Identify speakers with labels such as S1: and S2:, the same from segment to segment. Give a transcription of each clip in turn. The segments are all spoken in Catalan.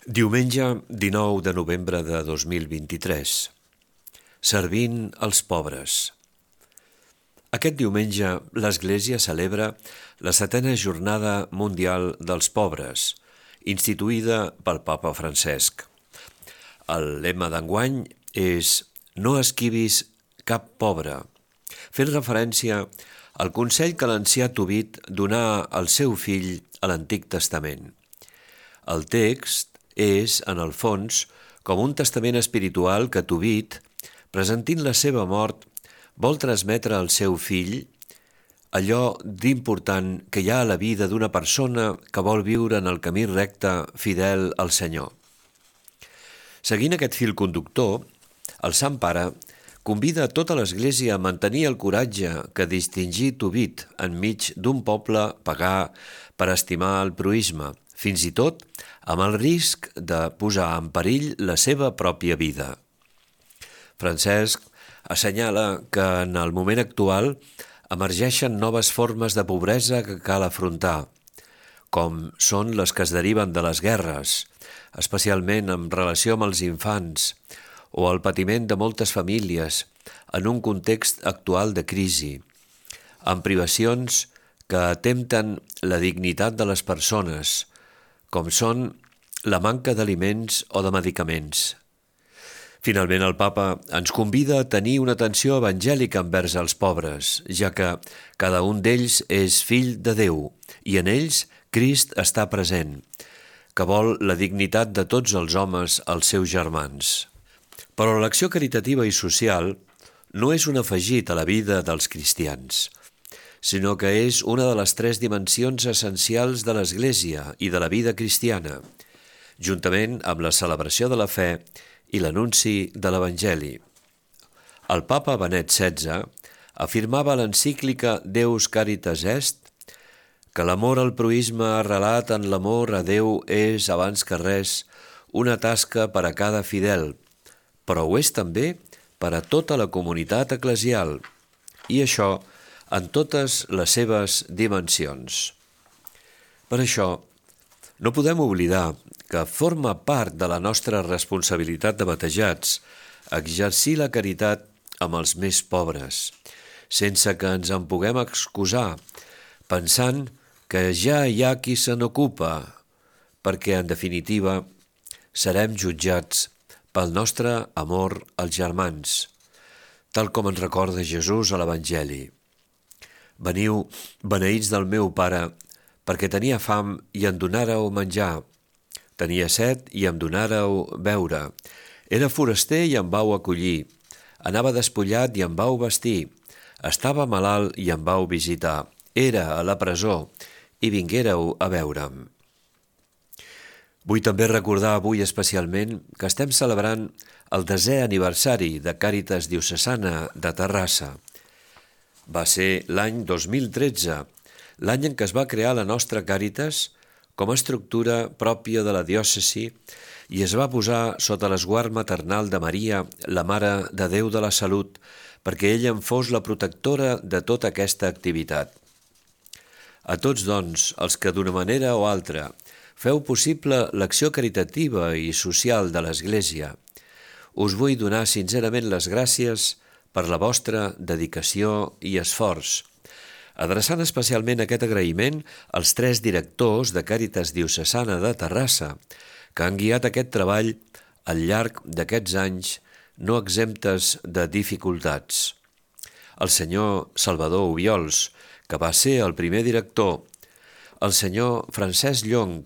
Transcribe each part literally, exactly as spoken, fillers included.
S1: Diumenge dinou de novembre de dos mil vint-i-tres. Servint els pobres. Aquest diumenge l'Església celebra la setena Jornada Mundial dels Pobres, instituïda pel Papa Francesc. El lema d'enguany és «No esquivis cap pobre», fent referència al consell que l'ancià Tobit donà al seu fill a l'Antic Testament. El text és, en el fons, com un testament espiritual que Tobit, presentint la seva mort, vol transmetre al seu fill allò d'important que hi ha a la vida d'una persona que vol viure en el camí recte fidel al Senyor. Seguint aquest fil conductor, el Sant Pare convida a tota l'Església a mantenir el coratge que distingí Tobit enmig d'un poble pagà per estimar el proïsme, fins i tot amb el risc de posar en perill la seva pròpia vida. Francesc assenyala que en el moment actual emergeixen noves formes de pobresa que cal afrontar, com són les que es deriven de les guerres, especialment en relació amb els infants, o el patiment de moltes famílies en un context actual de crisi, amb privacions que atempten la dignitat de les persones, com són la manca d'aliments o de medicaments. Finalment, el Papa ens convida a tenir una atenció evangèlica envers els pobres, ja que cada un d'ells és fill de Déu i en ells Crist està present, que vol la dignitat de tots els homes, els seus germans. Però l'acció caritativa i social no és un afegit a la vida dels cristians, sinó que és una de les tres dimensions essencials de l'Església i de la vida cristiana, juntament amb la celebració de la fe i l'anunci de l'Evangeli. El Papa Benet setze afirmava a l'encíclica Deus Caritas Est que l'amor al proïsme arrelat en l'amor a Déu és, abans que res, una tasca per a cada fidel, però ho és també per a tota la comunitat eclesial, i això en totes les seves dimensions. Per això, no podem oblidar que forma part de la nostra responsabilitat de batejats exercir la caritat amb els més pobres, sense que ens en puguem excusar, pensant que ja hi ha qui se n'ocupa, perquè, en definitiva, serem jutjats pel nostre amor als germans, tal com ens recorda Jesús a l'Evangeli. Veniu, beneïts del meu Pare, perquè tenia fam i em donàreu menjar, tenia set i em donàreu beure, era foraster i em vau acollir, anava despullat i em vau vestir, estava malalt i em vau visitar, era a la presó i vinguéreu a veure'm. Vull també recordar avui especialment que estem celebrant el desè aniversari de Càritas Diocesana de Terrassa. Va ser l'any dos mil tretze, l'any en què es va crear la nostra Càritas com a estructura pròpia de la diòcesi i es va posar sota l'esguard maternal de Maria, la Mare de Déu de la Salut, perquè ella en fos la protectora de tota aquesta activitat. A tots, doncs, els que d'una manera o altra feu possible l'acció caritativa i social de l'Església, us vull donar sincerament les gràcies per la vostra dedicació i esforç, adreçant especialment aquest agraïment als tres directors de Càritas Diocesana de Terrassa, que han guiat aquest treball al llarg d'aquests anys no exemptes de dificultats. El senyor Salvador Obiols, que va ser el primer director, el senyor Francesc Llong,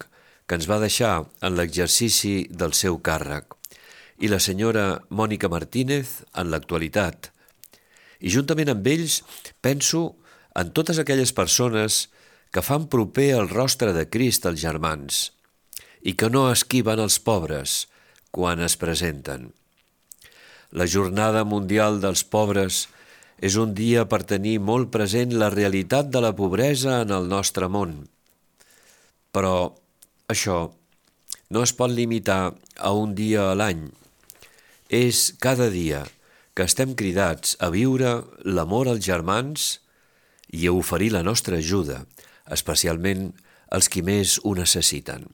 S1: que ens va deixar en l'exercici del seu càrrec, i la senyora Mònica Martínez en l'actualitat. I juntament amb ells penso en totes aquelles persones que fan proper el rostre de Crist als germans i que no esquiven els pobres quan es presenten. La Jornada Mundial dels Pobres és un dia per tenir molt present la realitat de la pobresa en el nostre món. Però això no es pot limitar a un dia a l'any. És cada dia que estem cridats a viure l'amor als germans i a oferir la nostra ajuda, especialment als qui més ho necessiten.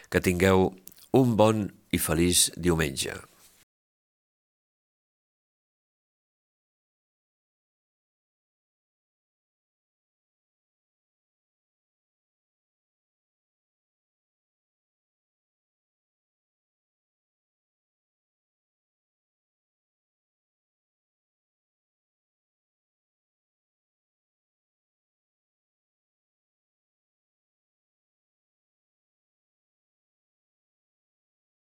S1: Que tingueu Un bon i feliç diumenge.